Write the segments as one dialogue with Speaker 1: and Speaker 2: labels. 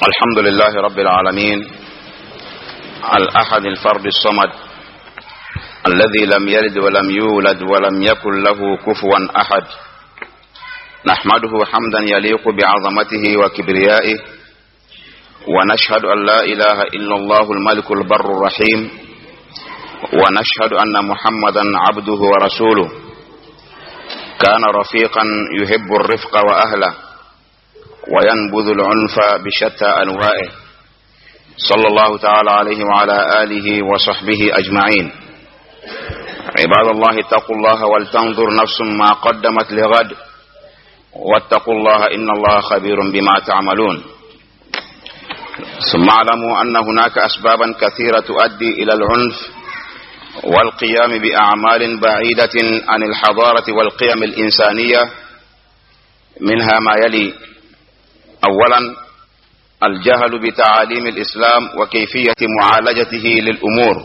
Speaker 1: الحمد لله رب العالمين، الأحد الفرد الصمد، الذي لم يلد ولم يولد ولم يكن له كفوا أحد. نحمده حمدا يليق بعظمته وكبريائه، ونشهد أن لا إله إلا الله الملك البر الرحيم، ونشهد أن محمدا عبده ورسوله، كان رفيقا يحب الرفق وأهله، وينبذ العنف بشتى أنواعه، صلى الله تعالى عليه وعلى آله وصحبه أجمعين. عباد الله، اتقوا الله ولتنظر نفس ما قدمت لغد، واتقوا الله إن الله خبير بما تعملون. ثم اعلموا أن هناك أسبابا كثيرة تؤدي إلى العنف والقيام بأعمال بعيدة عن الحضارة والقيم الإنسانية، منها ما يلي: أولا، الجهل بتعاليم الإسلام وكيفية معالجته للأمور.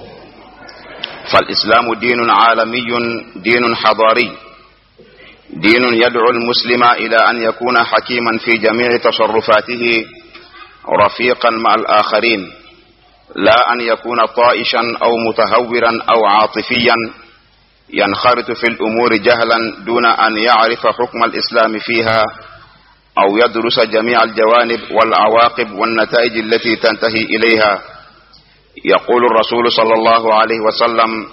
Speaker 1: فالإسلام دين عالمي، دين حضاري، دين يدعو المسلم إلى أن يكون حكيما في جميع تصرفاته، رفيقا مع الآخرين، لا أن يكون طائشا أو متهورا أو عاطفيا ينخرط في الأمور جهلا دون أن يعرف حكم الإسلام فيها أو يدرس جميع الجوانب والعواقب والنتائج التي تنتهي إليها. يقول الرسول صلى الله عليه وسلم: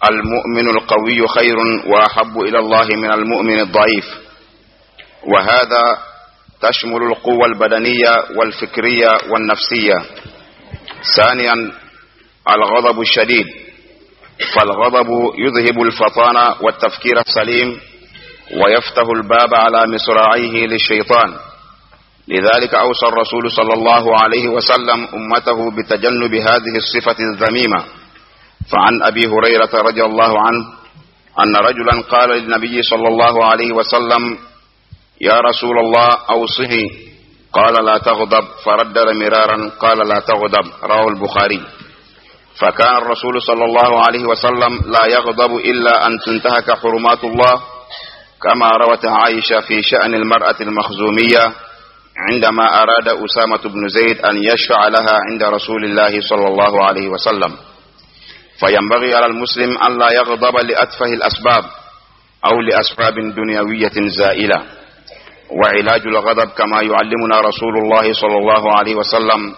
Speaker 1: المؤمن القوي خير وأحب إلى الله من المؤمن الضعيف. وهذا تشمل القوة البدنية والفكرية والنفسية. ثانيا، الغضب الشديد. فالغضب يذهب الفطانة والتفكير السليم، ويفتح الباب على مصراعيه للشيطان. لذلك أوصى الرسول صلى الله عليه وسلم أمته بتجنب هذه الصفة الذميمة. فعن أبي هريرة رضي الله عنه أن رجلا قال للنبي صلى الله عليه وسلم: يا رسول الله، أوصني. قال: لا تغضب. فردد مرارا، قال: لا تغضب. رواه البخاري. فكان الرسول صلى الله عليه وسلم لا يغضب إلا أن تنتهك حرمات الله، كما روت عائشة في شأن المرأة المخزومية عندما أراد أسامة بن زيد أن يشفع لها عند رسول الله صلى الله عليه وسلم. فينبغي على المسلم أن لا يغضب لأتفه الأسباب أو لأسباب دنيوية زائلة. وعلاج الغضب كما يعلمنا رسول الله صلى الله عليه وسلم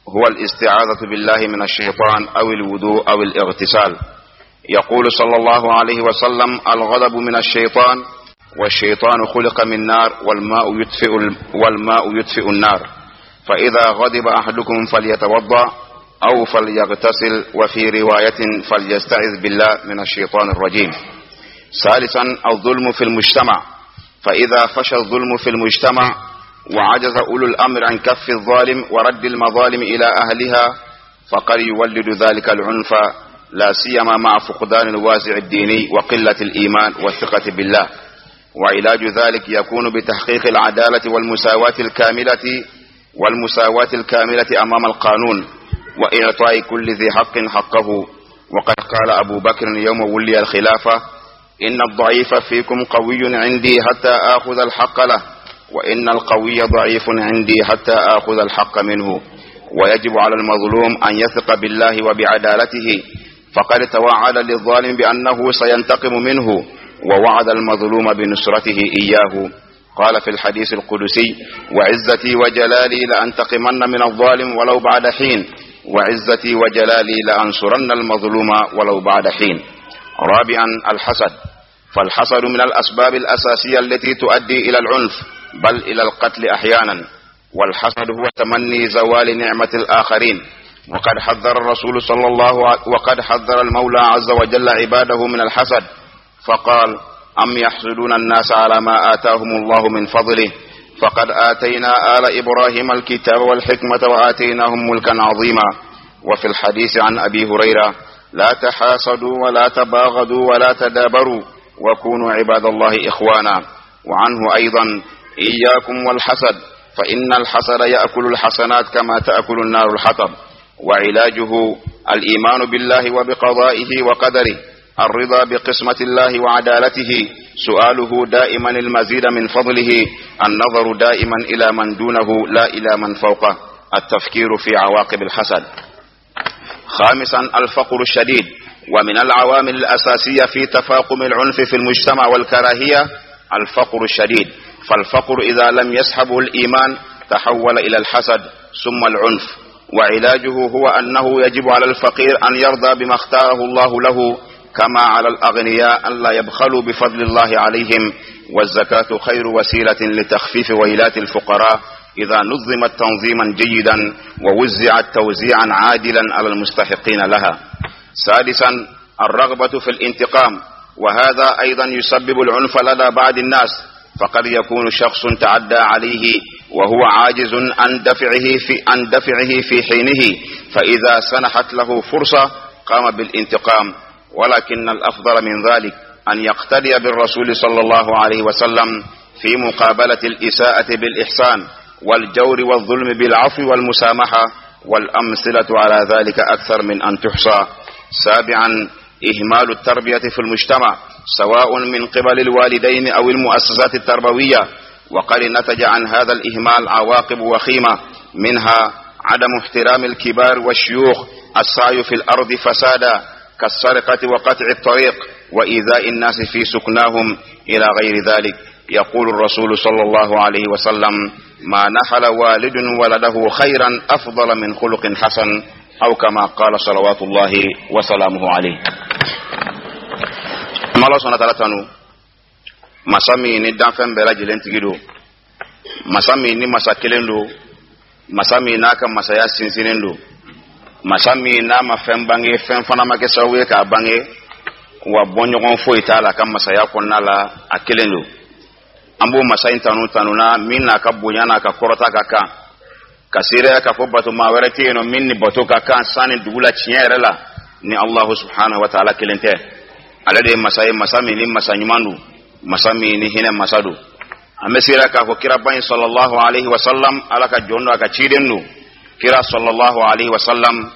Speaker 1: هو الاستعاذة بالله من الشيطان أو الوضوء أو الاغتسال. يقول صلى الله عليه وسلم: الغضب من الشيطان، والشيطان خلق من نار، والماء يطفئ النار، فإذا غضب أحدكم فليتوضأ أو فليغتسل، وفي رواية فليستعذ بالله من الشيطان الرجيم. ثالثا، الظلم في المجتمع. فإذا فشى الظلم في المجتمع وعجز أولو الأمر عن كف الظالم ورد المظالم إلى أهلها، فقد يولد ذلك العنف، لا سيما مع فقدان الوازع الديني وقلة الإيمان والثقة بالله. وعلاج ذلك يكون بتحقيق العدالة والمساواة الكاملة أمام القانون، وإعطاء كل ذي حق حقه. وقد قال أبو بكر يوم ولي الخلافة: إن الضعيف فيكم قوي عندي حتى آخذ الحق له، وإن القوي ضعيف عندي حتى آخذ الحق منه. ويجب على المظلوم أن يثق بالله وبعدالته، فقد توعد للظالم بأنه سينتقم منه، ووعد المظلوم بنصرته إياه. قال في الحديث القدسي: وعزتي وجلالي لأنتقمن من الظالم ولو بعد حين، وعزتي وجلالي لأنصرن المظلوم ولو بعد حين. رابعا، الحسد. فالحسد من الأسباب الأساسية التي تؤدي إلى العنف، بل إلى القتل أحيانا. والحسد هو تمني زوال نعمة الآخرين. وقد حذر المولى عز وجل عباده من الحسد، فقال: أم يحسدون الناس على ما آتاهم الله من فضله، فقد آتينا آل إبراهيم الكتاب والحكمة وآتيناهم ملكا عظيما. وفي الحديث عن أبي هريرة: لا تحاسدوا ولا تباغضوا ولا تدابروا وكونوا عباد الله إخوانا. وعنه أيضا: إياكم والحسد، فإن الحسد يأكل الحسنات كما تأكل النار الحطب. وعلاجه الإيمان بالله وبقضائه وقدره، الرضا بقسمة الله وعدالته، سؤاله دائما المزيد من فضله، النظر دائما إلى من دونه لا إلى من فوقه. التفكير في عواقب الحسد. خامسا، الفقر الشديد. ومن العوامل الأساسية في تفاقم العنف في المجتمع والكراهية الفقر الشديد، فالفقر إذا لم يسحبه الإيمان تحول إلى الحسد ثم العنف. وعلاجه هو أنه يجب على الفقير أن يرضى بما اختاره الله له، كما على الأغنياء أن لا يبخلوا بفضل الله عليهم. والزكاة خير وسيلة لتخفيف ويلات الفقراء إذا نظمت تنظيما جيدا ووزعت توزيعا عادلا على المستحقين لها. سادسا، الرغبة في الانتقام، وهذا أيضا يسبب العنف لدى بعض الناس، فقد يكون شخص تعدى عليه وهو عاجز عن دفعه في حينه، فإذا سنحت له فرصة قام بالانتقام. ولكن الأفضل من ذلك أن يقتدي بالرسول صلى الله عليه وسلم في مقابلة الإساءة بالإحسان، والجور والظلم بالعفو والمسامحة، والأمثلة على ذلك أكثر من أن تحصى. سابعا، إهمال التربية في المجتمع، سواء من قبل الوالدين أو المؤسسات التربوية. وقد نتج عن هذا الإهمال عواقب وخيمة، منها عدم احترام الكبار والشيوخ، السعي في الأرض فسادا كالسرقة وقطع الطريق وإيذاء الناس في سكناهم، إلى غير ذلك. يقول الرسول صلى الله عليه وسلم: ما نحل والد ولده خيرا أفضل من خلق حسن، أو كما قال صلوات الله وسلامه عليه. Allah subhanahu wa ta'ala tanu, masa min ni danfɛn bɛɛ lajɛlen tigi don, masa min ni masa kelen don, masa min n'a ka masaya sinsinnen don, masa min n'a ma fɛn bange, fɛn fana ma kɛ sababu ye k'a bange, wa bɔɲɔgɔn foyi t'a la ka masaya kɔnɔna la, a kelen don. An b'o masa in tanu tanuna min n'a ka bonya n'a ka kɔrɔta ka kan, ka seereya k'a fɔ bato maa wɛrɛ tɛ yen nɔ min ni bato ka kan san ni dugu la tiɲɛ yɛrɛ la ni Allahu subhanahu wa ta'ala kelen tɛ. Ale de ye masa ye, masa min ni masa ɲuman don, masa min ni hinɛ masa don. An bɛ seereya k'a fɔ kiraba in sallallahu alaihi wa sallam, Ala ka jɔn don, a ka ciden don. Kira sallallahu alaihi wa sallam,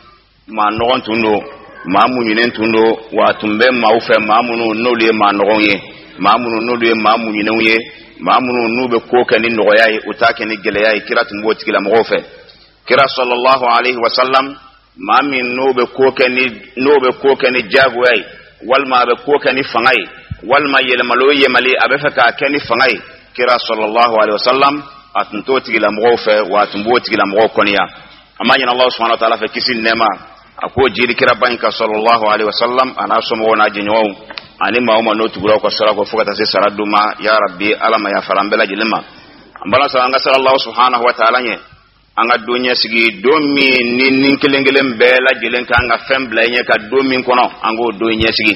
Speaker 1: maa nɔgɔn tun don, maa muɲunen tun don, wa a tun bɛ maaw fɛ, maa minnu n'olu ye maa nɔgɔnw ye, maa minnu n'olu ye maa muɲunenw ye, maa minnu n'u bɛ ko kɛ ni nɔgɔya ye, u t'a kɛ ni gɛlɛya ye. Kira tun b'o tigilamɔgɔw fɛ. Kira sallallahu alaihi wa sallam, maa min n'o bɛ ko kɛ ni jagoya ye, walima a bɛ ko kɛ ni fanga ye, walima yɛlɛmali o yɛlɛmali a bɛ fɛ k'a kɛ ni fanga ye, kira sallallahu alaihi wa sallam, a tun t'o tigilamɔgɔw fɛ, wa a tun b'o tigilamɔgɔw kɔniya. An b'a ɲini Allah subhanahu wa ta'ala fɛ, kisi ni nɛɛma a k'o jiri kiraba in ka sallallahu alaihi wa sallam, a n'a somɔgɔw n'a jɛɲɔgɔnw, ani maa o maa n'o tugura ka sira kɔ fo ka taa se sara don ma. Ya rabbi, Ala ma yafara an bɛɛ lajɛlen ma. An bala sara, an ka siran Allah subhanahu wa ta'ala ɲɛ, an ka don ɲɛsigi, don min ni kelen kelen bɛɛ lajɛlen kan ka fɛn bila i ɲɛ ka don min kɔnɔ, an k'o don ɲɛsigi.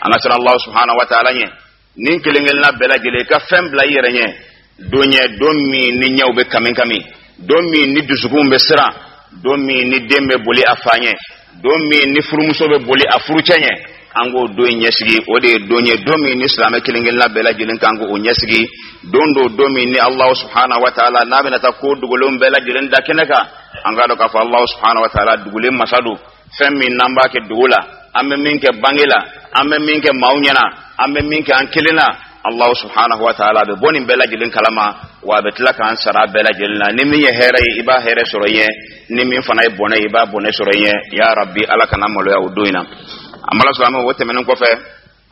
Speaker 1: An ka siran Allah subhanahu wa ta'ala ɲɛ, ni kelen kelenna bɛɛ lajɛlen ka fɛn bila i yɛrɛ ɲɛ don ɲɛ, don min ni ɲɛw bɛ kami kami, don min ni dusukun bɛ siran, don min ni den bɛ boli a fa ɲɛ, don min ni furumuso bɛ boli a furucɛ ɲɛ, an k'o don in ɲɛsigi. O de ye don ye, don min ni silamɛ kelen kelenna bɛɛ lajɛlen kan k'o ɲɛsigi. Don do, don min ni Allahu subhanahu wa ta'ala n'a bɛna taa ko dogolenw bɛɛ lajɛlen da kɛnɛ kan. An k'a dɔn k'a fɔ Allahu subhanahu wa ta'ala dugulen masa don. Fɛn min n'an b'a kɛ dogo la, an bɛ min kɛ bange la, an bɛ min kɛ maaw ɲɛna, an bɛ min kɛ an kelen na, Allahu subhanahu wa ta'ala bɛ bɔ nin bɛɛ lajɛlen kalama, wa a bɛ tila k'an sara bɛɛ lajɛlen na. Ni min ye hɛrɛ ye, i b'a hɛrɛ sɔrɔ i ɲɛ. Ni min fana ye bɔnɛ ye, i b'a bɔnɛ sɔrɔ i ɲɛ. Ya rabbi, Ala kana maloya o don in na. An bala silamɛw, o tɛmɛnen kɔfɛ,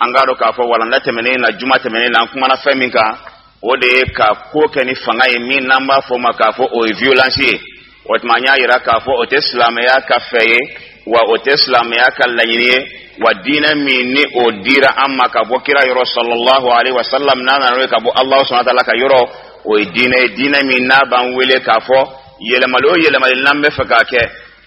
Speaker 1: an k'a dɔn k'a fɔ walanda tɛmɛnen na, juma tɛmɛnen na, an kumana fɛn min kan, o de ye ka ko kɛ ni fanga ye, min n'an b'a fɔ o ma k'a fɔ o ye violence ye. O tuma, an y'a yira k'a fɔ o tɛ silamɛya ka fɛ ye, wa o tɛ silamɛya ka laɲini ye. Wa diinɛ min ni o dira an ma ka bɔ kira yɔrɔ sallallahu alaihi wa sallam, n'a nana n'o ye ka bɔ Allahu subhanahu wa ta'ala ka yɔrɔ, o ye diinɛ ye, diinɛ min n'a b'an wele k'a fɔ yɛlɛmali o yɛlɛmali n'an bɛ fɛ k'a kɛ,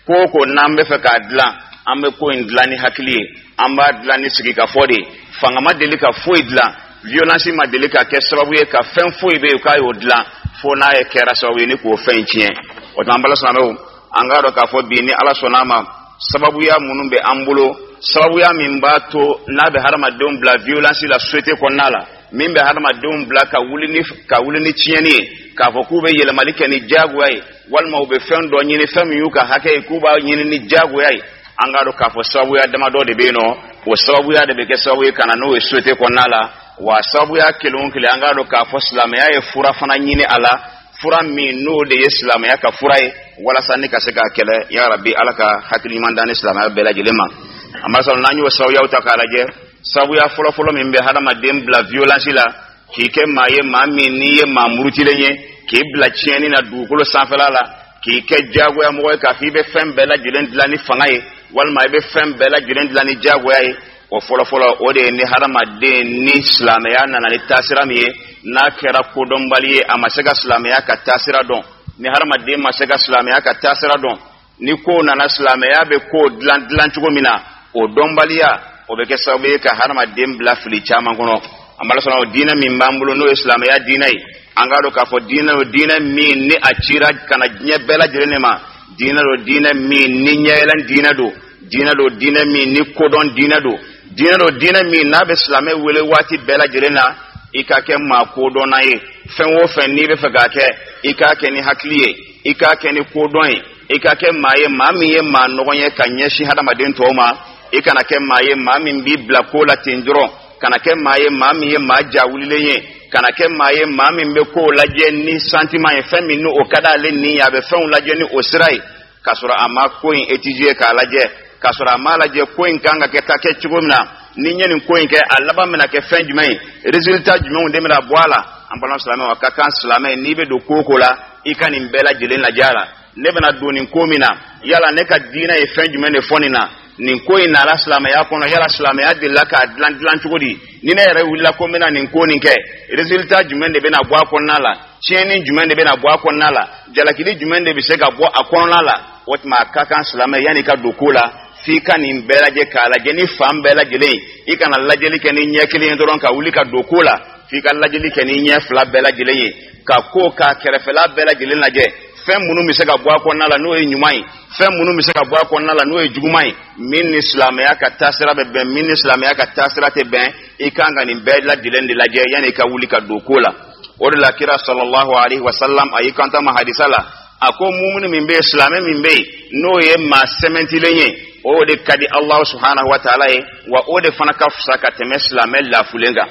Speaker 1: ko o ko n'an bɛ fɛ k'a dilan, an bɛ ko in dilan ni hakili ye, an b'a dilan ni sigikafɔ de ye. Fanga ma deli ka foyi dilan, violence ma deli ka kɛ sababu ye ka fɛn foyi bɛ yen k'a y'o dilan, fo n'a ye kɛra sababu ye ni k'o fɛn in tiɲɛ. O tuma, an bala silamɛw, an k'a dɔn k'a fɔ bi, ni Ala sɔnna a ma, sababuya minnu bɛ an bolo, sababuya min b'a to n'a bɛ hadamadenw bila violence la société kɔnɔna la, min bɛ hadamadenw bila ka wuli ni tiɲɛni ye, k'a fɔ k'u bɛ yɛlɛmali kɛ ni diyagoya ye, walima u bɛ fɛn dɔ ɲini, fɛn min y'u ka hakɛ ye, k'u b'a ɲini ni diyagoya ye, an k'a dɔn k'a fɔ sababuya damadɔ de bɛ yen nɔ. O sababuya de bɛ kɛ sababu ye ka na n'o ye société kɔnɔna la. Wa sababuya kelen o kelen, an k'a dɔn k'a fɔ silamɛya ye fura fana ɲini a la. Fura min n'o de ye silamɛya ka fura ye walasa ni ka se k'a kɛlɛ. Ya Rabi, Ala ka hakili ɲuman d'an ni silamɛya bɛɛ lajɛlen ma. An b'a sɔrɔ n'an y'o sababuyaw ta k'a lajɛ, sababuya fɔlɔfɔlɔ min bɛ hadamaden bila violence la, k'i kɛ maa ye, maa min n'i ye maa murutilen ye, k'i bila tiɲɛni na dugukolo sanfɛla la, k'i kɛ diyagoya mɔgɔ ye, k'a fɔ i bɛ fɛn bɛɛ lajɛlen dilan ni fanga ye walima i bɛ fɛn bɛɛ lajɛlen dilan ni diyagoya ye, o fɔlɔfɔlɔ, o de ye ni hadamaden ni silamɛya nana ni taasira min ye, n'a kɛra kodɔnbali ye, a ma se ka silamɛya ka taasira dɔn. Ni hadamaden ma se ka silamɛya ka taasira dɔn, ni ko nana, silamɛya bɛ ko dilan dilan cogo min na, o dɔnbaliya, o bɛ kɛ sababu ye ka hadamaden bila fili caman kɔnɔ. An b'a sɔrɔ o diinɛ min b'an bolo, n'o ye silamɛya diinɛ ye, an k'a dɔn k'a fɔ diinɛ o diinɛ min ni a cira ka na diɲɛ bɛɛ lajɛlen de ma, diinɛ don, diinɛ min ni ɲɛyɛlɛn diinɛ don, diinɛ don, diinɛ min ni kodɔn diinɛ don, diinɛ don, diinɛ min n'a bɛ silamɛ wele waati bɛɛ lajɛlen na, i ka kɛ maa kodɔnna ye. Fɛn o fɛn n'i bɛ fɛ k'a kɛ, i k'a kɛ ni hakili ye, i k'a kɛ ni kodɔn ye, i ka kɛ maa ye, maa min ye maa nɔgɔn ye ka ɲɛsin hadamaden tɔw ma. I kana kɛ maa ye, maa min b'i bila ko la ten dɔrɔn. Kana kɛ maa ye, maa min ye maa jawulilen ye. Kana kɛ maa ye, maa min bɛ kow lajɛ ni sentiment ye, fɛn min ni o ka d'ale ni ye, a bɛ fɛnw lajɛ ni o sira ye, k'a sɔrɔ a ma ko in étudier k'a lajɛ, k'a sɔrɔ a m'a lajɛ ko in kan ka kɛ ka kɛ cogo min na, ni n ye nin ko in kɛ, a laban bɛna kɛ fɛn jumɛn ye, résultat jumɛnw de bɛna bɔ a la. An balima silamɛw, a ka kan silamɛ, n'i bɛ don ko o ko la, i ka nin bɛɛ lajɛlen lajɛ a la. Ne bɛna don nin ko min na, yala ne ka diinɛ ye fɛn jumɛn de fɔ nin na? Nin ko in nana silamɛya kɔnɔ, yala silamɛya delila k'a dilan dilan cogo di? Ni ne yɛrɛ wulila ko n bɛna nin ko nin kɛ, résultat jumɛn de bɛna bɔ a kɔnɔna la? Tiɲɛni jumɛn de bɛna bɔ a kɔnɔna la? Jalakili jumɛn de bɛ se ka bɔ a kɔnɔna la? O tuma, a ka kan silamɛ, yanni ka don ko la, f'i ka nin bɛɛ lajɛ, k'a lajɛ ni fan bɛɛ lajɛlen. I kana lajɛli kɛ ni ɲɛ kelen ye dɔrɔn ka wuli ka don ko la. F'i ka lajɛli kɛ ni ɲɛ fila bɛɛ lajɛlen ye, ka ko k'a kɛrɛfɛla bɛɛ lajɛlen lajɛ, fɛn minnu bɛ se ka bɔ a kɔnɔna la n'o ye ɲuman ye, fɛn minnu bɛ se ka bɔ a kɔnɔna la n'o ye juguman ye, min ni silamɛya ka taasira bɛ bɛn, min ni silamɛya ka taasira tɛ bɛn. I kan ka nin bɛɛ lajɛlen de lajɛ yanni i ka wuli ka don ko la. O de la, kira sallallahu alaihi wa sallam, a y'i kanto ma hadisa la, a ko mumuni min bɛ yen, silamɛ min bɛ yen, n'o ye maa sɛmɛntilen ye, o de ka di Alahu subhanahu wa taala ye, wa o de fana ka fisa ka tɛmɛ silamɛ lafulen kan.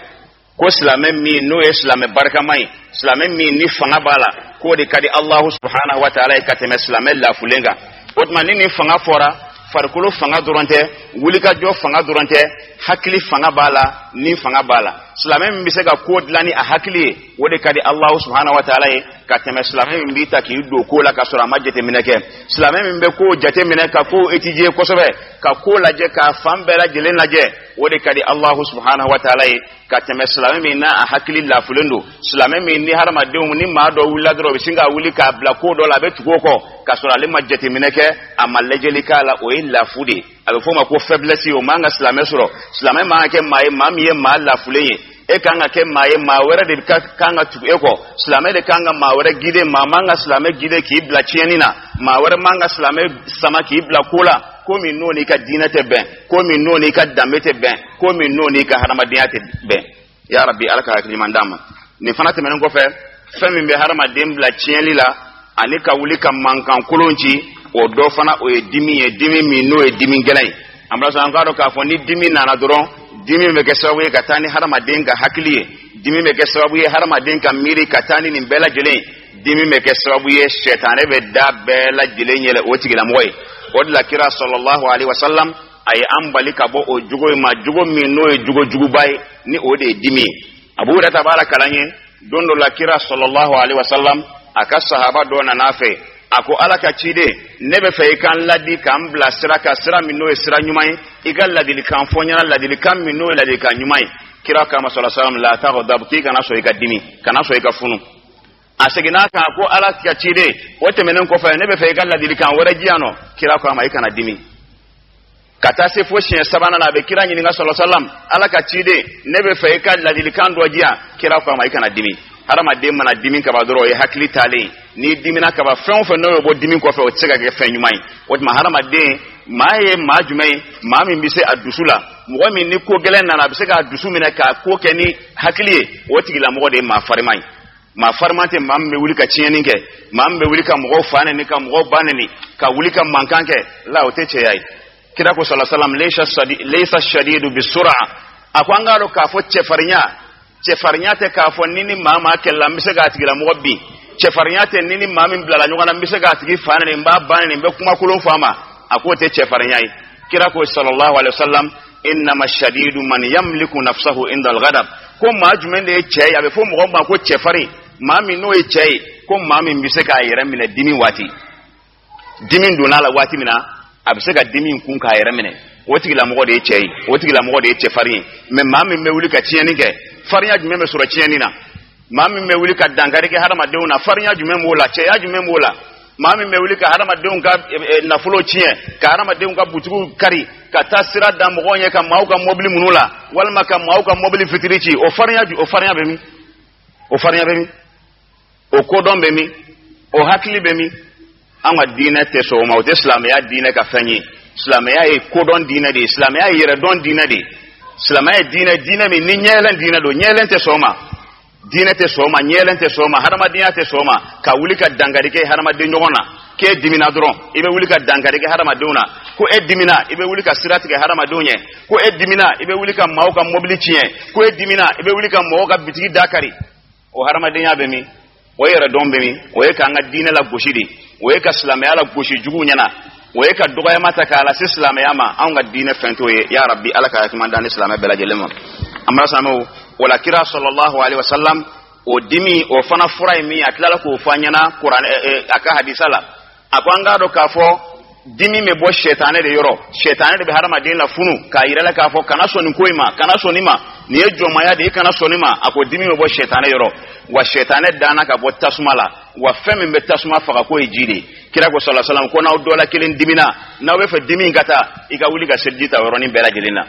Speaker 1: Ko silamɛ min n'o ye silamɛ barikama ye, silamɛ min ni fanga b'a la, k'o de ka di Alahu subhanahu wa taala ye ka tɛmɛ silamɛ lafulen kan. O tuma, ni nin fanga fɔra, farikolo fanga dɔrɔn tɛ, wulikajɔ fanga dɔrɔn tɛ, hakili fanga b'a la, ni fanga b'a la. Silamɛ min bɛ se ka ko dilan ni a hakili ye, o de ka di Alahu subhanahu wa taala ye ka tɛmɛ silamɛ min b'i ta k'i don ko la ka sɔrɔ a ma jateminɛ kɛ. Silamɛ min bɛ ko jateminɛ, ka ko étudier kosɛbɛ, ka ko lajɛ, k'a fan bɛɛ lajɛlen lajɛ, o de ka di Alahu subhanahu wa taala ye ka tɛmɛ silamɛ min n'a a hakili lafulen don, silamɛ min ni hadamadenw ni maa dɔ wulila dɔrɔn, o bɛ sin ka wuli k'a bila ko dɔ la, a bɛ tugu o kɔ k'a sɔrɔ ale ma jateminɛ kɛ, a ma lajɛli k'a la. O ye lafu de ye, a bɛ f'o ma ko faiblesse. O man ka silamɛ sɔrɔ. Silamɛ man ka kɛ maa ye, maa min ye maa lafulen ye. E kan ka kɛ maa ye, maa wɛrɛ de ka kan ka tugu e kɔ. Silamɛ de kan ka maa wɛrɛ guider. Maa man ka silamɛ guider k'i bila tiɲɛni na. Maa wɛrɛ man ka silamɛ sama k'i bila ko la, ko min n'o n'i ka diinɛ tɛ bɛn, ko min n'o n'i ka danbe tɛ bɛn, ko min n'o n'i ka hadamadenya tɛ bɛn. Ya Rabi, Ala ka hakili ɲuman d'an ma. Nin fana tɛmɛnen kɔfɛ, fɛn min bɛ hadamaden bila tiɲɛli la ani ka wuli ka mankan kolon ci, o dɔ fana, o ye dimi ye, dimi min n'o ye dimi gɛlɛn ye. An b'a sɔrɔ an k'a dɔn k'a fɔ ni dimi nana dɔrɔn, dimi bɛ kɛ sababu ye ka taa ni hadamaden ka hakili ye, dimi bɛ kɛ sababu ye hadamaden ka miiri ka taa ni nin bɛɛ lajɛlen ye, dimi bɛ kɛ sababu ye sɛtanɛ bɛ da bɛɛ lajɛlen yɛlɛ o tigilamɔgɔ ye. O de la, kira sallallahu alaihi wasallam, a ye an bali ka bɔ o jogo in ma, jogo min n'o ye jogo juguba ye, ni o de ye dimi ye. Abu Hurairah b'a la kalan ye, don dɔ la, kira sallallahu alaihi wasallam, a ka sahaba dɔ nana fɛ, a ko: Ala ka ciden, ne bɛ fɛ i ka n ladi, k'an bila sira kan, sira min n'o ye sira ɲuman ye. I ka ladilikan fɔ n ɲɛna, ladilikan min n'o ye ladilikan ɲuman ye. Kira kama sallallahu alaihi wasallam: la taghdab, k'i kana sɔn i ka dimi, kana sɔn i ka funu. A seginna a kan ko: Ala ka ciden, o tɛmɛnen kɔfɛ, ne bɛ fɛ i ka ladilikan wɛrɛ di yan nɔ. Kira ko a ma: i kana dimi. Ka taa se fo siɲɛ sabanan na, a bɛ kira ɲininka sɔlɔ salam: Ala ka ciden, ne bɛ fɛ i ka ladilikan dɔ di yan. Kira ko a ma: i kana dimi. Hadamaden mana dimi kaba dɔrɔn, o ye hakili taalen. N'i dimina kaba, fɛn o fɛn n'o ye bɔ dimi kɔfɛ, o tɛ se ka kɛ fɛn ɲuman ye. O tuma, hadamaden maa ye maa jumɛn ye? Maa min bɛ se a dusu la, mɔgɔ min ni ko gɛlɛn nana, a bɛ se k'a dusu minɛ k'a ko kɛ ni hakili ye, o tigilamɔgɔ de ye maa fariman ye. Maa fariman tɛ maa min bɛ wuli ka tiɲɛni kɛ, maa min bɛ wuli ka mɔgɔw fa neni, ka mɔgɔw ba neni, ka wuli ka mankan kɛ la, o tɛ cɛya ye. Kira ko sala salam: laysa shadidu bisura. A ko an k'a dɔn k'a fɔ cɛfarinya, cɛfarinya tɛ k'a fɔ ni maa maa kɛlɛla, n bɛ se k'a tigilamɔgɔ bin. Cɛfarinya tɛ ni ni maa min bilala ɲɔgɔn na, n bɛ se k'a tigi fa nɛni, n b'a ba nɛni, n bɛ kumakolon fɔ a ma, a k'o tɛ cɛfarinya ye. Kira ko sallallahu alaihi wasallam, innama shadidu man yamliku nafsahu inda al-ghadab. Ko maa jumɛn de ye cɛ ye? A bɛ fɔ mɔgɔ ma ko cɛfarin, maa min n'o ye cɛ ye, ko maa min bɛ se k'a yɛrɛ minɛ dimi waati. Dimi donna a la waati min na, a bɛ se ka dimi kun k'a yɛrɛ minɛ, o tigilamɔgɔ de ye cɛ ye, o tigilamɔgɔ de ye cɛfarin ye. Mɛ maa min bɛ wuli ka tiɲɛni kɛ, farinya jumɛn bɛ sɔrɔ tiɲɛni na? Maa min bɛ wuli ka dankari kɛ hadamadenw na, farinya jumɛn b'o la? Cɛya jumɛn b'o la? Maa min bɛ wuli ka hadamadenw ka nafolo tiɲɛ, ka hadamadenw ka butigiw kari, ka taa sira da mɔgɔw ɲɛ, ka maaw ka mɔbili minnu la, walima ka maaw ka mɔbili fitiri ci, o farinya, o farinya bɛ min? O farinya bɛ min? O kodɔn bɛ min? O hakili bɛ min? An ka diinɛ tɛ sɔn o ma. O tɛ silamɛya diinɛ ka fɛn ye. Silamɛya ye kodɔn diinɛ de ye, silamɛya ye yɛrɛdɔn diinɛ de ye, silamɛya ye diinɛ, diinɛ min ni ɲɛyɛlɛn diinɛ don. Ɲɛyɛlɛn tɛ sɔn o ma, diinɛ tɛ sɔn o ma, ɲɛyɛlɛn tɛ sɔn o ma, hadamadenya tɛ sɔn o ma ka wuli ka dankari kɛ hadamaden ɲɔgɔn na. K'e dimina dɔrɔn, i bɛ wuli ka dankari kɛ hadamadenw na. Ko e dimina, i bɛ wuli ka sira tigɛ hadamadenw ɲɛ. Ko e dimina, i bɛ wuli ka maaw ka mɔbili tiɲɛ. Ko e dimina, i bɛ wuli ka mɔgɔw ka bitigi da kari. O hadamadenya bɛ min? O yɛrɛdɔn bɛ min? O ye k'an ka diinɛ lagosi de, o ye ka silamɛya lagosi juguw ɲɛna, o ye ka dɔgɔyama ta k'a lase silamɛya ma. Anw ka diinɛ fɛn t'o ye. Ya rabbi, Ala ka hakima d'an ni silamɛ bɛɛ lajɛlen ma. An b'a silamɛw o la, kira sallallahu alaihi wasallam, o dimi, o fana fura ye min ye, a tilala k'o fɔ an ɲɛna kuran a ka hadisa la. A ko an k'a dɔn k'a fɔ dimi bɛ bɔ sɛtanɛ de yɔrɔ. Sɛtanɛ de bɛ hadamaden lafunu k'a yira la k'a fɔ kana sɔn nin ko in ma, kana sɔn nin ma, nin ye jɔnmaya de ye, i kana sɔn nin ma. A ko dimi bɛ bɔ sɛtanɛ yɔrɔ, wa sɛtanɛ danna ka bɔ tasuma la, wa fɛn min bɛ tasuma faga k'o ye ji de ye. Kira ko sallallahu alaihi wasallam ko n'aw dɔ la kelen dimina, n'aw bɛ fɛ dimi in ka taa, i ka wuli ka seliji ta yɔrɔnin bɛɛ lajɛlen na.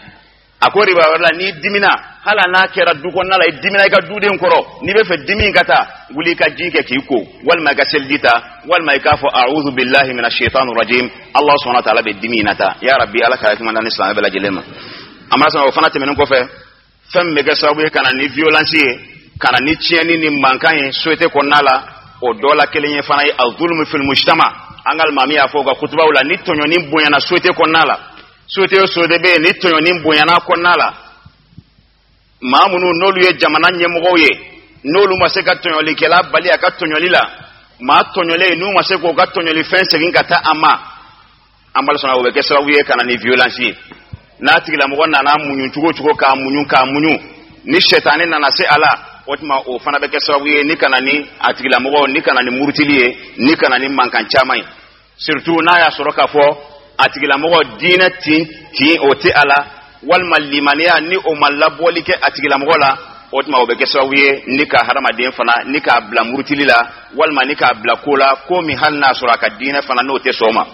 Speaker 1: A ko riba wɛrɛ la, n'i dimina, hali n'a kɛra du kɔnɔna la, i dimina i ka duden kɔrɔ, n'i bɛ fɛ dimi ka taa, wuli i ka ji kɛ k'i ko, walima i ka seliji ta, walima i k'a fɔ a'udhu billahi minash shaitani rajim. Allah subhanahu wa ta'ala bɛ dimi in na taa. Ya rabbi, Ala ka hakima d'an ni silamɛ bɛɛ lajɛlen ma. An b'a sɔrɔ o fana tɛmɛnen kɔfɛ, fɛn min bɛ kɛ sababu ye ka na ni violence ye, ka na ni tiɲɛni ni mankan ye société kɔnɔna la, o dɔ la kelen ye fana ye az-zulmu fil mujtama. An ka alimami y'a fɔ u ka kutubaw la, ni tɔɲɔni bonyana société kɔnɔna la, société o société bɛ yen ni tɔɲɔni bonyana kɔnɔna la, maa minnu n'olu ye jamana ɲɛmɔgɔw ye, n'olu ma se ka tɔɲɔlikɛla bali a ka tɔɲɔli la, maa tɔɲɔlen n'u ma se k'o ka tɔɲɔlifɛn segin ka taa a ma, an b'a sɔrɔ o bɛ kɛ sababu ye ka na ni violence ye. N'a tigilamɔgɔ nana muɲu cogo o cogo, k'a muɲu, k'a muɲu, ni sɛtanɛ nana se a la, o tuma o fana bɛ kɛ sababu ye ni ka na ni a tigilamɔgɔ, ni ka na ni murutili ye, ni ka na ni mankan caman ye, surtout n'a y'a sɔrɔ k'a fɔ a tigilamɔgɔ diinɛ tin tin o tɛ a la, walima limaniya ni o ma labɔli kɛ a tigilamɔgɔ la. O tuma o bɛ kɛ sababu ye ni ka hadamaden fana ni k'a bila murutili la, walima ni k'a bila ko la, ko min hali n'a sɔrɔ a ka diinɛ fana n'o tɛ sɔn o ma.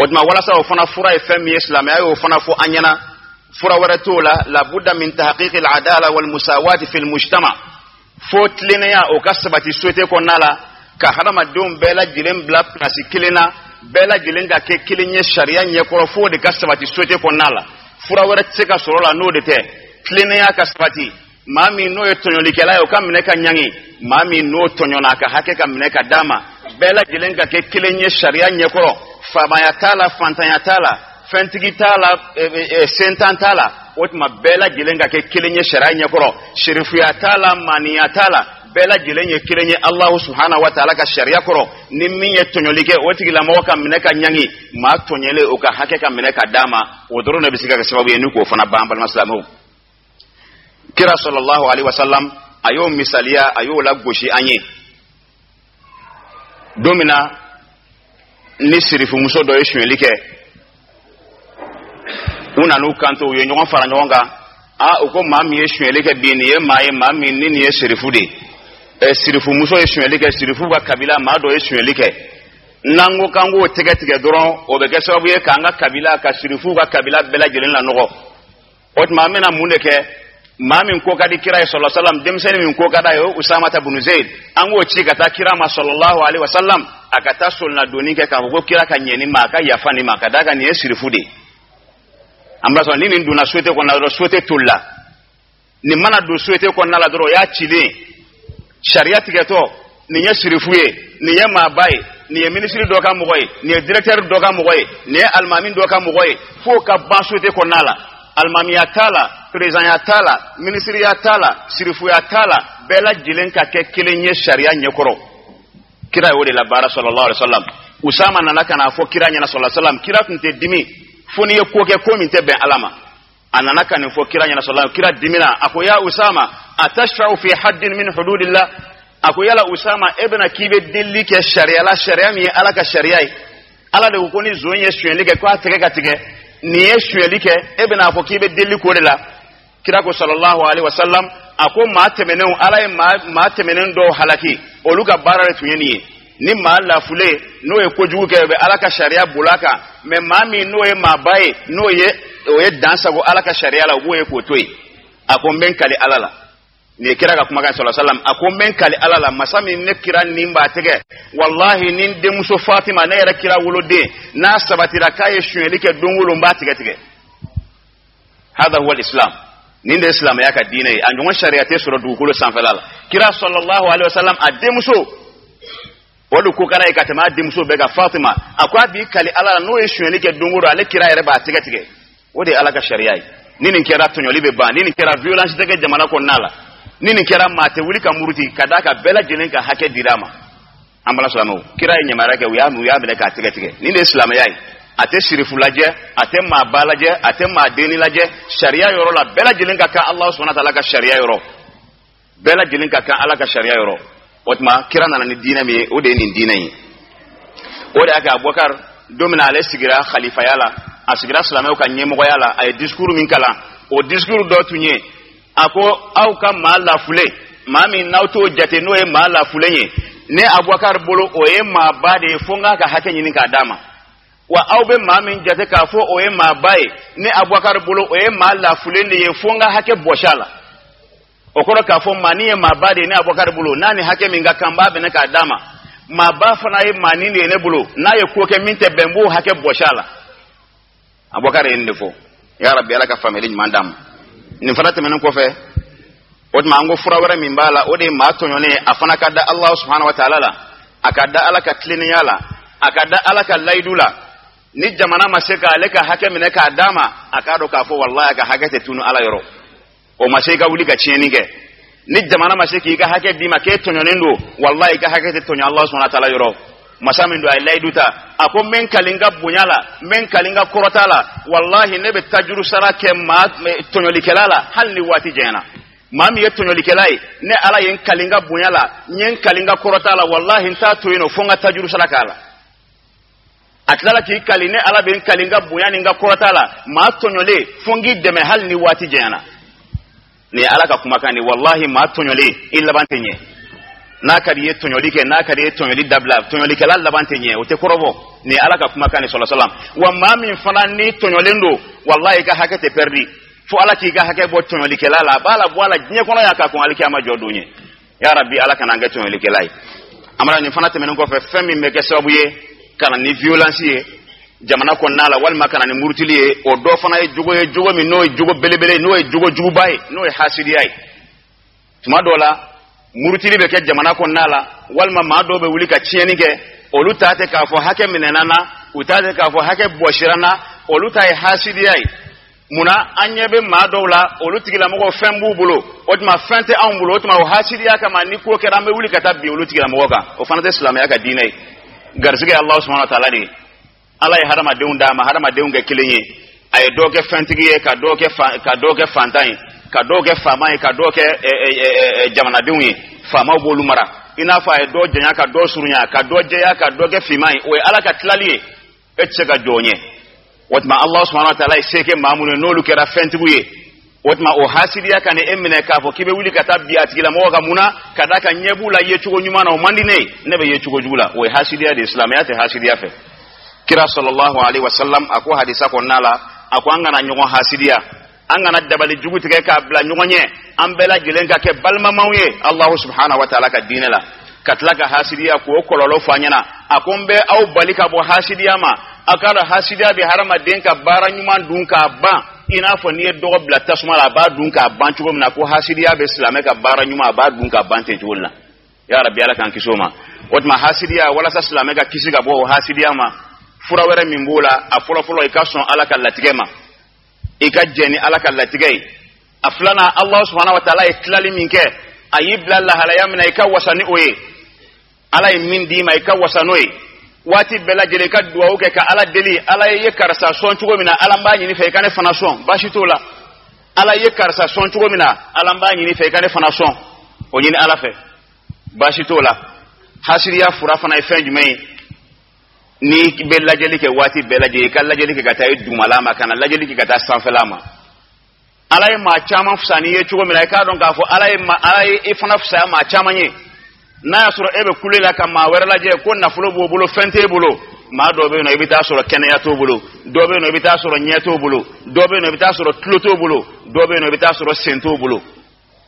Speaker 1: O tuma walasa o fana fura ye fɛn min ye, silamɛya y'o fana fɔ an ɲɛna. Fura wɛrɛ t'o la, labudda min tahqiqi al-adala wal musawati fil mujtama. Fo tilennenya o ka sabati société kɔnɔna la, ka hadamadenw bɛɛ lajɛlen bila pilasi kelen na, bɛɛ lajɛlen ka kɛ kelen ye sariya ɲɛkɔrɔ. F'o de ka sabati société kɔnɔna la. Fura wɛrɛ tɛ se ka sɔrɔ la n'o de tɛ. Tilennenya ka sabati, maa min n'o ye tɔɲɔlikɛla ye, o ka minɛ ka ɲangi, maa min n'o tɔɲɔna, a ka hakɛ ka minɛ ka d'a ma, bɛɛ lajɛlen ka kɛ kelen ye sariya ɲɛkɔrɔ. Faamaya t'a la, fantanya t'a la, fɛntigi t'a la, sentan t'a la. O tuma bɛɛ lajɛlen ka kɛ kelen ye sariya ɲɛkɔrɔ. Serifuya t'a la, maaniya t'a la, bɛɛ lajɛlen ye kelen ye Alahu subhanahu wa taala ka sariya kɔrɔ. Ni min ye tɔɲɔli kɛ, o tigilamɔgɔ ka minɛ ka ɲangi, maa tɔɲɔlen, o ka hakɛ ka minɛ ka d'a ma. O dɔrɔn de bɛ se ka kɛ sababu ye ni k'o fana ban. Balima silamɛw, kira sallallahu alaihi wasallam a y'o misaliya, a y'o lagosi an ye don min na ni sirifumuso dɔ ye sonyɛli kɛ. U nan'u kanto, u ye ɲɔgɔn fara ɲɔgɔn kan. A u ko maa min ye sonyɛli kɛ bi, nin ye maa ye, maa min ni nin ye sirifu de ye. Ɛ, sirifumuso ye sonyɛli kɛ, sirifu ka kabila maa dɔ ye sonyɛli kɛ. N'an ko k'an k'o tɛgɛ tigɛ dɔrɔn, o bɛ kɛ sababu ye k'an ka kabila, ka sirifuw ka kabila bɛɛ lajɛlen lanɔgɔ. O tuma an bɛna mun de kɛ? Maa min ko ka di kira ye sallallahu alaihi wasallam, denmisɛnnin min ko ka d'a ye, o Usamata bunu Zeyd, an k'o ci ka taa kira ma sallallahu alaihi wasallam, a ka taa solinadonni kɛ k'a fɔ ko kira ka ɲɛ nin ma, a ka yafa nin ma, ka d'a kan nin ye sirifu de ye. An b'a sɔrɔ ni nin donna société kɔnɔna dɔrɔn, société tolila. Nin mana don société kɔnɔna la dɔrɔn, o y'a cilen ye. Sariya tigɛtɔ, nin ye sirifu ye, nin ye maaba ye, nin ye minisiri dɔ ka mɔgɔ ye, nin ye directeur dɔ ka mɔgɔ ye, nin ye alimami dɔ ka mɔgɔ ye, f'o ka ban société kɔnɔna la. Alimamiya t'a la, perezanya t'a la, minisiriya t'a la, sirifuya t'a la, bɛɛ lajɛlen ka kɛ kelen ye sariya ɲɛkɔrɔ. Kira y'o de labaara sallallahu alaihi wasallam. Usama nana ka n'a fɔ kira ɲɛna sallallahu alaihi wasallam, kira tun tɛ dimi fo n'i ye ko kɛ ko min tɛ bɛn Ala ma. A nana ka nin fɔ kira ɲɛna sallallahu alaihi wasallam, kira dimina, a ko ya Usama, atashfa'u fi haddin min hududillah? A ko yala Usama, e bɛna k'i bɛ delili kɛ sariya la, sariya min ye Ala ka sariya ye. Ala de ko ko ni zon ye sonyɛli kɛ k'a tɛgɛ ka tigɛ, nin ye sonyɛli kɛ, e bɛna a fɔ k'i bɛ delili k'o de la. Kira ko sallallahu alaihi wasallam, a ko maa tɛmɛnenw, Ala ye maa tɛmɛnen dɔw halaki, olu ka baara de tun ye nin ye. Ni maa lafulen n'o ye kojugu kɛ, o bɛ Ala ka sariya bol'a kan, mɛ maa min n'o ye maaba ye, n'o ye o ye dan sago Ala ka sariya la, o b'o ye k'o to yen. A ko n bɛ n kali Ala la, nin ye kira ka kumakan sallallahu alaihi wasallam, a ko n bɛ n kali Ala la, masa min ne kira nin b'a tɛgɛ, walahi ni n denmuso Fatima, ne yɛrɛ kira woloden, n'a sabatira k'a ye sonyɛli kɛ don o don, n b'a tigɛ tigɛ. Hada huwa al-islam, nin de ye silamɛya ka diinɛ ye, a ɲɔgɔn sariya tɛ sɔrɔ dugukolo sanfɛla la. Kira sallallahu alaihi wasallam a denmuso, o de ko kɛra ye ka tɛmɛ a denmuso bɛɛ kan, Fatima, a ko a b'i kali Ala la, n'o ye sonyɛli kɛ don o don, ale kira yɛrɛ b'a tɛgɛ tigɛ. O de ye Ala ka sariya ye. Ni nin kɛra, tɔɲɔli bɛ ban. Ni nin kɛra, violence tɛ kɛ jamana kɔnɔna la. Ni nin kɛra, maa tɛ wuli ka muruti, ka d'a kan bɛɛ lajɛlen ka hakɛ dira a ma. An bala silamɛw, kira ye ɲamariya kɛ, u y'a minɛ k'a tɛgɛ tigɛ. Nin de ye silamɛya ye. A tɛ sirifu lajɛ, a tɛ maaba lajɛ, a tɛ maa denni lajɛ. Sariya yɔrɔ la, bɛɛ lajɛlen ka kan Alahu subahana taala ka sariya yɔrɔ, bɛɛ lajɛlen ka kan Ala ka sariya yɔrɔ. O tuma kira nana ni diinɛ min ye, o de ye nin diinɛ ye. O de y'a kɛ Abubakar, don min na ale sigira khalifaya la, a sigira silamɛw ka ɲɛmɔgɔya la, a ye discours min kalan, o discours dɔ tun ye, a ko aw ka maa lafulen, maa min n'aw t'o jate n'o ye maa lafulen ye, ne Abubakar bolo o ye maaba de ye, fo n k'a ka hakɛ ɲini k'a d'a ma. Wa aw bɛ maa min jate k'a fɔ o ye maaba ye, ne Abubakar bolo o ye maa lafulen de ye, fo n ka hakɛ bɔsi a la. O kɔrɔ k'a fɔ maa nin ye maaba de ye ne Abubakar bolo, n'a ni hakɛ min ka kan, n b'a bɛnɛ k'a d'a ma. Maaba fana ye maa nin de ye ne bolo, n'a ye ko kɛ min tɛ bɛn, n b'o hakɛ bɔsi a la. Abubakar ye nin de fɔ. Ya Rabbi, Ala ka faamuyali ɲuman d'an ma. Nin fana tɛmɛnen kɔfɛ, o tuma an ko fura wɛrɛ min b'a la, o de ye maa tɔɲɔnen, a fana ka da Alahu subahana wa taala la, a ka da Ala ka tilennenya la, a ka da Ala ka layidu la. Ni jamana ma se k'ale ka hakɛ minɛ k'a d'a ma, a k'a dɔn k'a fɔ walahi a ka hakɛ tɛ tunu Ala yɔrɔ. O ma se i ka wuli ka tiɲɛni kɛ. Ni jamana ma se k'i ka hakɛ d'i ma k'e tɔɲɔnen don, walahi i ka hakɛ tɛ tɔɲɔ Alahu subahana wa taala yɔrɔ. Masa min don, a ye layidu ta, a ko n bɛ n kali n ka bonya la, n bɛ n kali n ka kɔrɔta la, walahi ne bɛ tajuru sara kɛ maa tɔɲɔlikɛla la, hali ni waati janyana. Maa min ye tɔɲɔlikɛla ye, ne Ala ye n kali n ka bonya la, n ye n kali n ka kɔrɔta la, walahi n t'a to yen nɔ fo n ka tajuru sara k'a la. A tilala k'i kali, ne Ala bɛ n kali n ka bonya ni n ka kɔrɔta la, maa tɔɲɔlen fo n k'i dɛmɛ hali ni waati janyana. Nin ye Ala ka kumakan de, walahi maa tɔɲɔlen i laban tɛ ɲɛ. N'a ka di i ye tɔɲɔli kɛ, n'a ka di i ye tɔɲɔli dabila, tɔɲɔlikɛla laban tɛ ɲɛ, o tɛ kɔrɔbɔ. Nin ye Ala ka kumakan de sallallahu alaihi wasallam. Wa maa min fana ni tɔɲɔlen don, walahi i ka hakɛ tɛ pɛridi, fo Ala k'i ka hakɛ bɔ tɔɲɔlikɛla la, a b'a la bɔ a la diɲɛ kɔnɔ yan ka kɔn alikiyama jɔ don ɲɛ. Ya Rabbi, Ala kana an kɛ tɔɲɔlikɛla ye. Amara, nin fana tɛmɛnen kɔfɛ, fɛn min bɛ kɛ sababu ye ka na ni violence ye jamana kɔnɔna la, walima ka na ni murutili ye, o dɔ fana ye jogo ye, jogo min n'o ye jogo belebele, n'o ye jogo juguba ye, n'o ye hasidiya ye. Tuma dɔw la murutili bɛ kɛ jamana kɔnɔna la, walima maa dɔw bɛ wuli ka tiɲɛni kɛ, olu ta tɛ k'a fɔ hakɛ minɛna na, u ta tɛ k'a fɔ hakɛ bɔsira na, olu ta ye hasidiya ye. Munna an ɲɛ bɛ maa dɔw la, olu tigilamɔgɔw fɛn b'u bolo, o tuma fɛn tɛ anw bolo, o tuma o hasidiya kama ni ko kɛra an bɛ wuli ka taa bin olu tigilamɔgɔ kan. O fana tɛ silamɛya ka diinɛ ye. Garisɛgɛ ye Alahu subahana wa taala de ye. Ala ye hadamadenw d'a ma, hadamadenw kɛ kelen ye. A ye dɔw kɛ fɛntigi ye, ka dɔw kɛ fantan ye, ka dɔw kɛ faama ye, ka dɔw kɛ jamanadenw ye. Faamaw b'olu mara. I n'a fɔ a ye dɔw janya ka dɔw surunya, ka dɔ jɛya ka dɔ kɛ finman ye. O ye Ala ka tilali ye. E tɛ se ka jɔ o ɲɛ. O tuma Alahu subahana wa taala ye se kɛ maa minnu ye, n'olu kɛra fɛntigiw ye, o tuma o hasidiya ka na e minɛ k'a fɔ k'i bɛ wuli ka taa bin a tigilamɔgɔ kan. Mun na? Ka d'a kan ɲɛ b'u la yecogo ɲuman na, o man di ne ye, ne bɛ yecogo jugu la. O ye hasidiya de ye. Silamɛya tɛ hasidiya fɛ. Kira sallallahu alaihi wasallam a ko hadisa kɔnɔna la, a ko an kana ɲɔgɔn hasidiya, an kana dabali jugu tigɛ k'a bila ɲɔgɔn ɲɛ, an bɛɛ lajɛlen ka kɛ balimamaw ye Alahu subahana wa taala ka diinɛ la. Ka tila ka hasidiya k'o kɔlɔlɔ fɔ an ɲɛna, a ko n bɛ aw bali ka bɔ hasidiya ma. A k'a dɔn hasidiya bɛ hadamaden ka baara ɲuman dun k'a ban, i n'a fɔ n'i ye dɔgɔ bila tasuma la, a b'a dun k'a ban cogo min na, ko hasidiya bɛ silamɛ ka baara ɲuman, a b'a dun k'a ban ten cogo la. Ya Rabbi, Ala k'an kisi o ma. O tuma hasidiya, walasa silamɛ ka kisi ka bɔ o hasidiya ma, fura wɛrɛ min b'o la, a fɔlɔfɔlɔ, i ka sɔn Ala ka latigɛ ma, i ka jɛn ni Ala ka latigɛ ye. A filanan, Alahu subahana wa taala ye tilali min kɛ, a y'i bila lahalaya min na, i ka wasa ni o ye. Ala ye min d'i ma, i ka wasa n'o ye. Waati bɛɛ lajɛlen i ka duwawu kɛ ka Ala deli. Ala ye karisa sɔn cogo min na, Ala, n b'a ɲini fɛ i ka ne fana sɔn. Baasi t'o la. Ala ye karisa sɔn cogo min na, Ala, n b'a ɲini fɛ i ka ne fana sɔn. O ɲini Ala fɛ, baasi t'o la. Hasiriya fura fana ye fɛn jumɛn ye? N'i bɛ lajɛli kɛ waati bɛɛ lajɛlen, i ka lajɛli kɛ ka taa i dugumala ma, ka na lajɛli kɛ ka taa sanfɛla ma. Ala ye maa caman fisaya n'i ye cogo min na, i k'a dɔn k'a fɔ Ala ye i fana fisaya maa caman ye. N'a y'a sɔrɔ e bɛ kule la ka maa wɛrɛ lajɛ ko nafolo b'o bolo, fɛn t'e bolo, maa dɔ bɛ yen nɔ, i bɛ taa sɔrɔ kɛnɛya t'o bolo. Dɔ bɛ yen nɔ, i bɛ taa sɔrɔ ɲɛ t'o bolo. Dɔ bɛ yen nɔ, i bɛ taa sɔrɔ tulo t'o bolo. Dɔ bɛ yen nɔ, i bɛ taa sɔrɔ sen t'o bolo.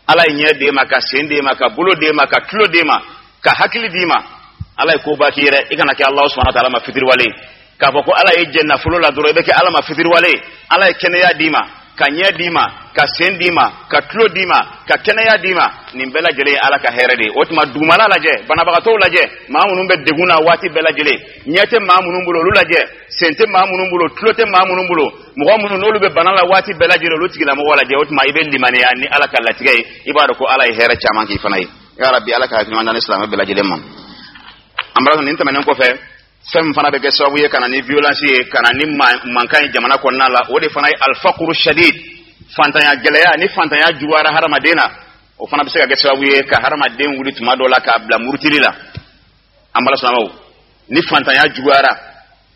Speaker 1: Ala ye ɲɛ d'e ma, ka sen d'e ma, ka bolo d'e ma, ka tulo d'e ma, ka hakili d'i ma. Ala ye koba k'i yɛrɛ. I kana kɛ Alahu subahana taala ma fitiriwale ye k'a fɔ ko Ala ye jɛ nafolo la dɔrɔn, i bɛ kɛ Ala ma fitiriwale ye. Ala ye kɛnɛya d'i ma, ka ɲɛ d'i ma, ka sen d'i ma, ka tulo d'i ma, ka kɛnɛya d'i ma. Nin bɛɛ lajɛlen ye Ala ka hɛrɛ de ye. O tuma, dugumala lajɛ, banabagatɔw lajɛ, maa minnu bɛ degun na waati bɛɛ lajɛlen, ɲɛ tɛ maa minnu bolo, olu lajɛ, sen tɛ maa minnu bolo, tulo tɛ maa minnu bolo, mɔgɔ minnu n'olu bɛ bana la waati bɛɛ lajɛlen, olu tigilamɔgɔw lajɛ. O tuma, i bɛ limaniya ni Ala ka latigɛ ye. I b'a dɔn ko Ala ye hɛrɛ caman k'i fana ye. Ya Rabi, Ala ka hakili ɲuman d'an ni silamɛ bɛɛ lajɛlen ma. An b'a nin tɛmɛnen kɔfɛ, fɛn min fana bɛ kɛ sababu ye ka na ni violence ye, ka na ni mankan ye jamana kɔnɔna la, o de fana ye alfakuru shadid, fantanya gɛlɛya. Ni fantanya juguyara hadamaden na, o fana bɛ se ka kɛ sababu ye ka hadamaden wuli tuma dɔ la k'a bila murutili la. An bala silamɛw, ni fantanya juguyara,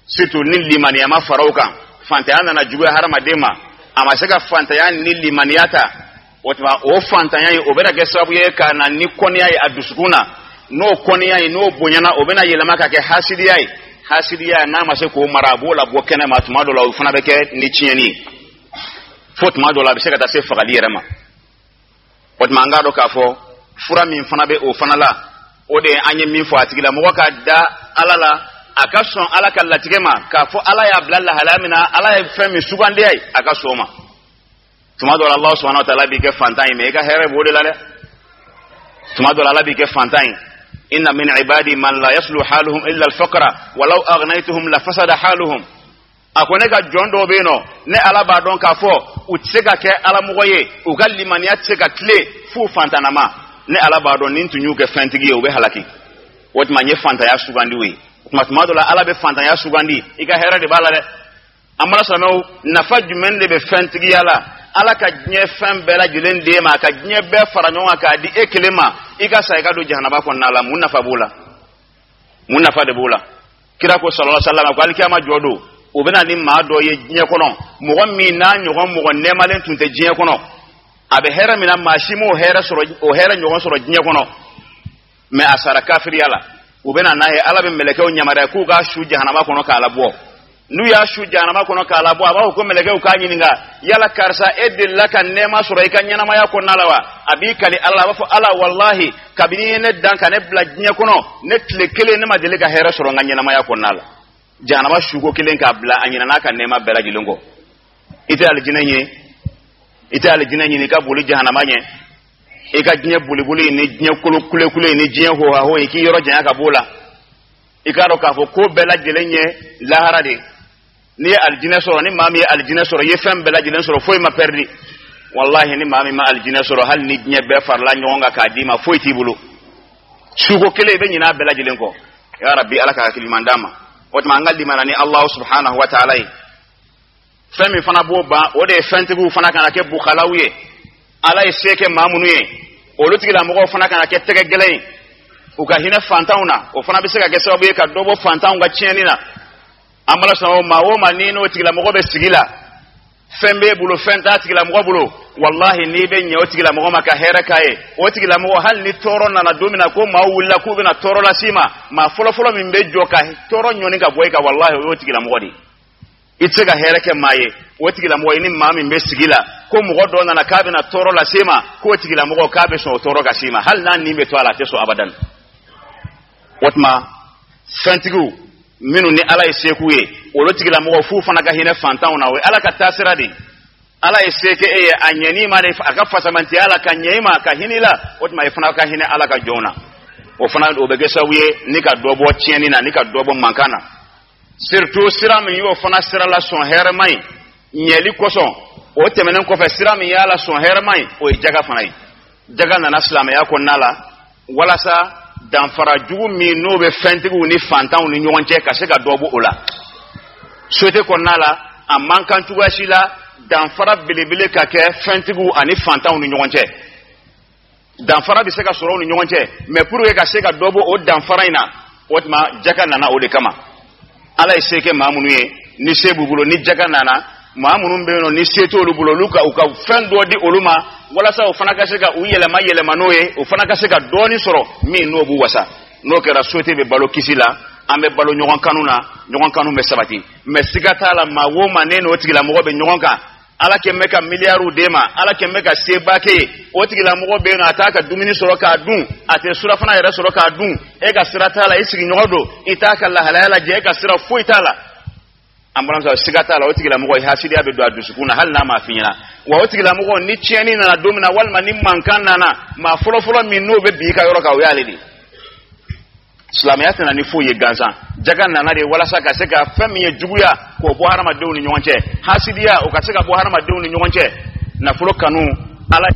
Speaker 1: surtout ni limaniya ma fara o kan, fantanya nana juguya hadamaden ma, a ma se ka fantanya ni limaniya ta, o tuma o fantanya ye, o bɛna kɛ sababu ye ka na ni kɔniya ye a dusukun na. N'o kɔniya ye, n'o bonyana, o bɛna yɛlɛma ka kɛ hasidiya ye. Hasidiya, n'a ma se k'o mara, a b'o labɔ kɛnɛ ma. Tuma dɔ la, o fana bɛ kɛ ni tiɲɛni ye, fo tuma dɔ la, a bɛ se ka taa se fagali yɛrɛ ma. O tuma, an k'a dɔn k'a fɔ fura min fana bɛ o fana la, o de ye an ye min fɔ, a tigilamɔgɔ ka da Ala la, a ka sɔn Ala ka latigɛ ma, k'a fɔ Ala y'a bila lahalaya min na, Ala ye fɛn min sugandiya ye, a ka sɔn o ma. Tuma dɔ la, Allah subhanahu wa ta'ala b'i kɛ fantan ye, mais i ka hɛrɛ b'o de la dɛ. Tuma dɔ la, Ala b'i kɛ fantan ye. Inna min ibadi man la yaslu haluhum illa al-faqra walau aghnaytuhum la fasada haluhum. A ko ne ka jɔn dɔw bɛ yen nɔ, ne Ala b'a dɔn k'a fɔ u tɛ se ka kɛ alamɔgɔ ye, u ka limaniya tɛ se ka tile f'u fantanama. Ne Ala b'a dɔn ni n tun y'u kɛ fɛntigi ye, u bɛ halaki. O tuma, n ye fantanya sugandi u ye. O tuma, tuma dɔ la, Ala bɛ fantanya sugandi, i ka hɛrɛ de b'a la dɛ. An bala silamɛw, nafa jumɛn de bɛ fɛntigiya la? Ala ka diɲɛ fɛn bɛɛ lajɛlen d'e ma, a ka diɲɛ bɛɛ fara ɲɔgɔn kan k'a di e kelen ma, i ka sa, i ka don jahanaba kɔnɔna la, mun nafa b'o la? Mun nafa de b'o la? Kira ko sallallahu alaihi wasallam ko alikiyama jɔ don, o bɛna ni maa dɔ ye diɲɛ kɔnɔ, mɔgɔ min n'a ɲɔgɔn mɔgɔ nɛɛmalen tun tɛ diɲɛ kɔnɔ. A bɛ hɛrɛ min na, maa si m'o hɛrɛ sɔrɔ, o hɛrɛ ɲɔgɔn sɔrɔ diɲɛ kɔnɔ, mais a sara kafiriya la. U bɛna n'a ye, Ala bɛ mɛlɛkɛw yamaruya k'u k'a su jahanama kɔnɔ k'a labɔ. N'u y'a su jahanama kɔnɔ k'a labɔ, a b'a fɔ ko mɛlɛkɛw k'a ɲininka: yala karisa, e delila ka nɛɛma sɔrɔ i ka ɲɛnamaya kɔnɔna la wa? A b'i kali Ala la, a b'a fɔ: Ala, walahi, kabini i ye ne dan ka ne bila diɲɛ kɔnɔ, ne tile kelen ne ma deli ka hɛrɛ sɔrɔ n ka ɲɛnamaya kɔnɔna la. Jahanama suko kelen k'a bila, a ɲinɛna a ka nɛɛma bɛɛ lajɛlen kɔ. I tɛ alijinɛ ɲini, i tɛ alijinɛ ɲini, i ka boli jahanama ɲɛ. I ka diɲɛ boliboli ni diɲɛ kolo kulekule ni diɲɛ hohaho, i k'i yɔrɔ janya ka b'o la. I k'a dɔn k'a fɔ ko bɛɛ lajɛlen ye lahara de. N'i ye alijinɛ sɔrɔ, ni maa min ye alijinɛ sɔrɔ, i ye fɛn bɛɛ lajɛlen sɔrɔ, foyi ma pɛridi. Walahi, ni maa min ma alijinɛ sɔrɔ, hali ni diɲɛ bɛɛ farala ɲɔgɔn kan k'a d'i ma, foyi t'i bolo. Suko kelen, i bɛ ɲinɛ a bɛɛ lajɛlen kɔ. Ya Rabbi, Ala ka hakili ɲuman d'an ma. O tuma, an ka limana ni Alahu subhanahu wa ta'ala ye. Fɛn min fana b'o ban, o de ye fɛntigiw fana kana kɛ bukalaw ye. Ala ye se kɛ maa minnu ye, olu tigilamɔgɔw fana kana kɛ tɛgɛ gɛlɛn ye, u ka hinɛ fantanw na. O fana bɛ se ka kɛ sababu ye ka dɔ bɔ fantanw ka tiɲɛni na. An bala sɔn, maa o maa ni n'o tigilamɔgɔ bɛ sigi la, fɛn b'e bolo, fɛn t'a tigilamɔgɔ bolo, walahi, n'i bɛ ɲɛ o tigilamɔgɔ ma ka hɛrɛ k'a ye, o tigilamɔgɔ, hali ni tɔɔrɔ nana don min na ko maaw wulila k'u bɛna tɔɔrɔ las'i ma, maa fɔlɔfɔlɔ min bɛ jɔ ka tɔɔrɔ ɲɔni ka bɔ i kan, walahi, o y'o tigilamɔgɔ de ye. I tɛ se ka hɛrɛ kɛ maa ye, o tigilamɔgɔ, i ni maa min bɛ sigi la, ko mɔgɔ dɔ nana k'a bɛna tɔɔrɔ lase ma, k'o tigilamɔgɔ k'a bɛ sɔn o tɔɔrɔ ka s'i ma, hali n'a nin bɛ to a la, a tɛ sɔn abadan. O tuma, fɛntigiw minnu ni Ala ye se k'u ye, olu tigilamɔgɔ, f'u fana ka hinɛ fantanw na. O ye Ala ka taasira de ye. Ala ye se kɛ e ye, a ɲɛn'i ma de, a ka fasamantiya la ka ɲɛ i ma, ka hinɛ i la. O tuma, i fana ka hinɛ Ala ka jɔnw na. O fana, o bɛ kɛ sababu ye ni ka dɔ bɔ tiɲɛni na, ni ka dɔ bɔ mankan na. Surtout sira min y'o fana sira la sɔn hɛrɛma ye ɲɛli kosɔn, o tɛmɛnen kɔfɛ, sira min y'a la sɔn hɛrɛma ye, o ye jaga fana ye. Jaga nana silamɛya kɔnɔna la walasa Danfara jugu min n'o bɛ fɛntigiw ni fantanw ni ɲɔgɔn cɛ, ka se ka dɔ bɔ o la société kɔnɔna la. A man kan cogoya si la danfara belebele ka kɛ fɛntigiw ani fantanw ni ɲɔgɔn cɛ. Danfara bɛ se ka sɔrɔ u ni ɲɔgɔn cɛ, mais pour que ka se ka dɔ bɔ o danfara in na, o tuma jaka nana o de kama. Ala ye se kɛ maa minnu ye, ni se b'u bolo, ni jaka nana, maa minnu bɛ yen nɔ ni se t'olu bolo, olu ka u ka fɛn dɔ di olu ma walasa o fana ka se ka u yɛlɛma yɛlɛma n'o ye, o fana ka se ka dɔɔnin sɔrɔ min n'o b'u wasa. N'o kɛra, société bɛ balo kisi la, an bɛ balo ɲɔgɔn kanu na, ɲɔgɔn kanu bɛ sabati. Mais siga t'a la, maa o maa ne n'o tigilamɔgɔ bɛ ɲɔgɔn kan, Ala kɛn bɛ ka miliyariw d'e ma, Ala kɛn bɛ ka seba k'e ye, o tigilamɔgɔ bɛ yen nɔ, a t'a ka dumuni sɔrɔ k'a dun, a tɛ surafana yɛrɛ sɔrɔ k'a dun, e ka sira t'a la. I sigiɲɔgɔn don, i t'a ka lahalaya lajɛ, e ka sira foyi t'a la. An balimamuso, siga t'a la, o tigilamɔgɔ hasidiya bɛ don a dusukun na hali n'a m'a f'i ɲɛna. Wa o tigilamɔgɔ, ni tiɲɛni nana don min na, walima ni mankan nana, maa fɔlɔfɔlɔ min n'o bɛ bin i ka yɔrɔ kan, o y'ale de ye. Silamɛya tɛna ni foyi ye gansan. Jaga nana de walasa ka se ka fɛn min ye juguya, k'o bɔ hadamadenw ni ɲɔgɔn cɛ, hasidiya, o ka se ka bɔ hadamadenw ni ɲɔgɔn cɛ, nafolo kanu Ala